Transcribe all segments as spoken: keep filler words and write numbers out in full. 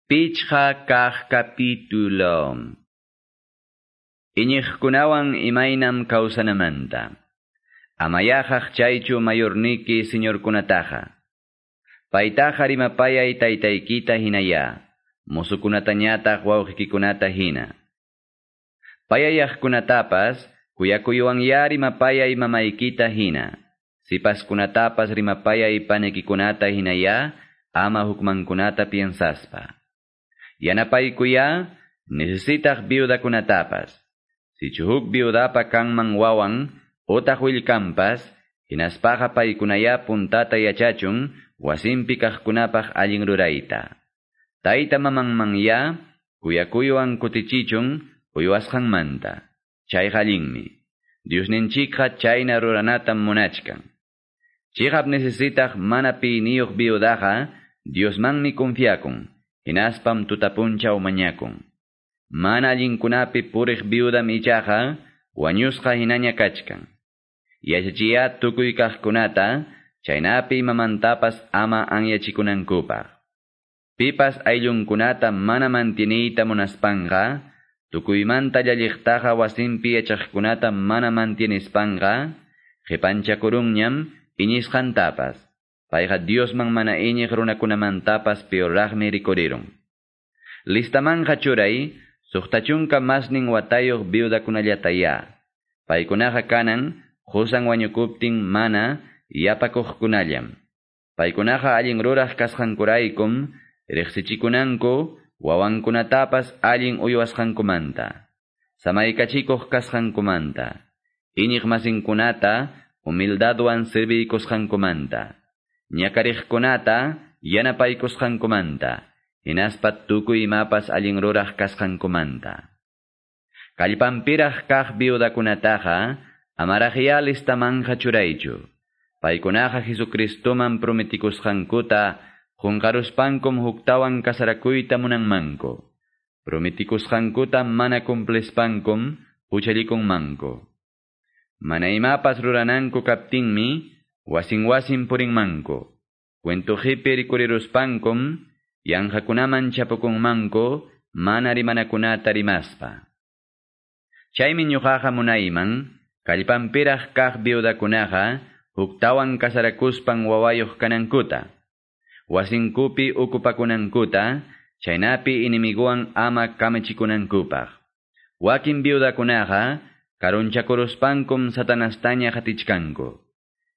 Pichqa kaq capítulo. Iñiqkunawan imaynam kawsanamanta. Amayaqaq chaychu mayorniki señorkunataqa. Paytaqa rimapayay taytaykita hinaya, musukunatañataq wawqikikunata hina. Payayaqkunatapas kuyakuywan rimapayay mamaykita hina. Sipaskunatapas rimapayay panikikunata hinaya, ama hukmankunata piensaspa. Yanapaykuya necesitaq viudakunatapas. Sichu huk viudapa kanman wawan otaq willkanpas, hinaspaqa paykunaya puntata yachachun wasinpi kaqkunapaq allin rurayta. Tayta mamanmanya kuyakuywan kutichichun uywasqanmanta. Chayqa allinmi. Diosninchikqa chayna ruranatam munachkan. Chiqap necesitaq mana piyniyuq viudaqa Diosmanmi confiakun. Hinaspam tutapunchaw mañakun. Mana allinkunapi puriq viudam ichaqa wañusqa hinaña kachkan. Yachachiya tukuy kaqkunata chaynapi imamantapas ama anyachikunankupaq. Pipas ayllunkunata mana mantieniyta munaspanqa, tukuymanta llalliqtaqa wasinpi yachaqkunata mana mantienispanqa, qipanchakurunñam iñisqantapas. Payqa Diosman mana iñiq runakunamantapas peorraqmi rikurirun. Listamanja churay, suqta chunka masnin watayuq viudakunallataya. Paykunaqa kanan, qusan wañukuptin mana yapakuqkunallam. Paykunaqa allin ruraq kasqankuraykum, riqsichikunanku wawankunatapas allin uywasqankumanta. Samaykachikuq kasqankumanta. Iñiq masinkunata humildadwan serviykusqankumanta. Ñakariqkunata yanapaykusqankumanta, hinaspa tukuy imapas allin ruraq kasqankumanta. Kallpanpiraq kaq viudakunataqa amaraqya listamanja churaychu. Paykunaqa Jesucristoman prometikusqankuta qunqaruspankum huktawan kasarakuyta munanmanku. Prometikusqankuta mana cumplispankum huchallikunmanku. Mana imapas rurananku kaptinmi wasin wasin purinmanku. Cuentojipi rikuriruspankum, yanqakunaman chapukunmanku, mana rimanakunata rimaspa. Chaymi ñuqaqa munayman, kallpanpiraq kaq viudakunaqa, huktawan kasarakuspan wawayuq kanankuta. Wasinkupi ukupakunankuta, chaynapi inimiguwan ama kamachikunankupaq. Wakin viudakunaqa, karunchakuruspankum satanastaña qatichkanku.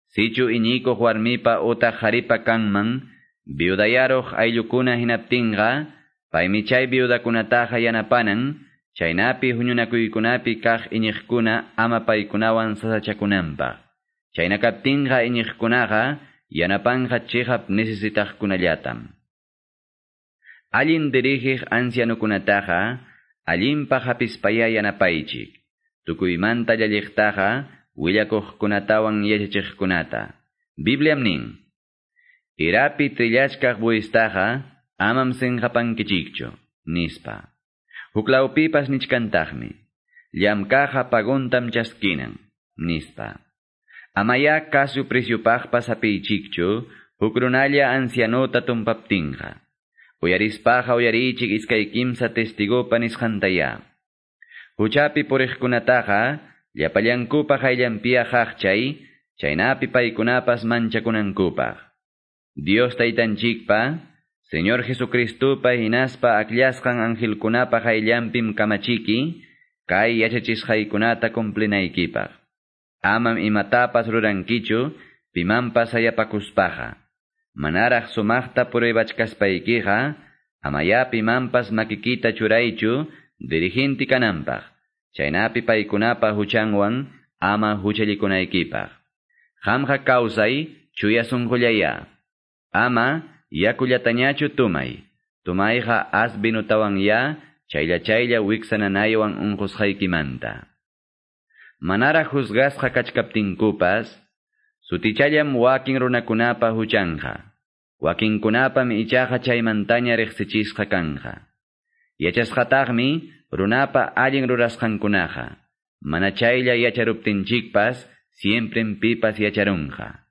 Sichu iñikuq warmipa utaq qharipa kanman, viudayaruq ayllukuna hinaptinqa, paymi chay viudakunataqa yanapanan, chaynapi huñunakuykunapi kaq iñiqkuna ama paykunawan sasachakunanpaq. Chayna kaptinqa iñiqkunaqa yanapanqa chiqap necesitaqkunallatam. Allin dirigiq ancianukunataqa allinpaq hapispaya yanapaychik. Tukuymanta llalliqtaqa willakuqkunatawan yachachiqkunata. Bibliam nin, Irapi trillachkaq buistaqa amam sinqapankichikchu, nispa. Huklawpipas nichkantaqmi, llamkaqa paguntam chaskinan, nispa. Amaya kasu presyupaqpas hapiychikchu, huk runalla ancianota tumpaptinqa. Uyarispaqa uyarichik iskay kimsa testigopa nisqantaya. Huchapi puriqkunataqa llapallankupa qayllanpiya qaqchay, chaynapi paykunapas manchakunankupaq. Dios taytanchikpa, Señor Jesucristopa hinaspa akllasqan angelkunapa qayllanpim kamachiki, kay yachachisqaykunata cumplinaykipaq. Amam imatapas rurankichu, pimanpas hayapakuspaqa. Manaraq sumaqta pruebachkaspaykiqa, amaya pimanpas makikita churaychu dirigente kananpaq. Chaynapi paykunapa huchanwan ama huchallikunaykipaq. Qamqa kawsay chuya sunqullaya. Ama yakullatañachu tumay. Tumayqa as vinutawan ya, chaylla chaylla wiksananaywan unqusqaykimanta. Manaraq juzgasqa kachkaptinkupas, sutichallam wakin runakunapa huchanqa. Wakinkunapam ichaqa chaymantaña riqsichisqa kanqa. Yachasqataqmi runapa allin rurasqankunaqa. Mana chaylla yacharuptinchikpas, siemprem pipas yacharunqa.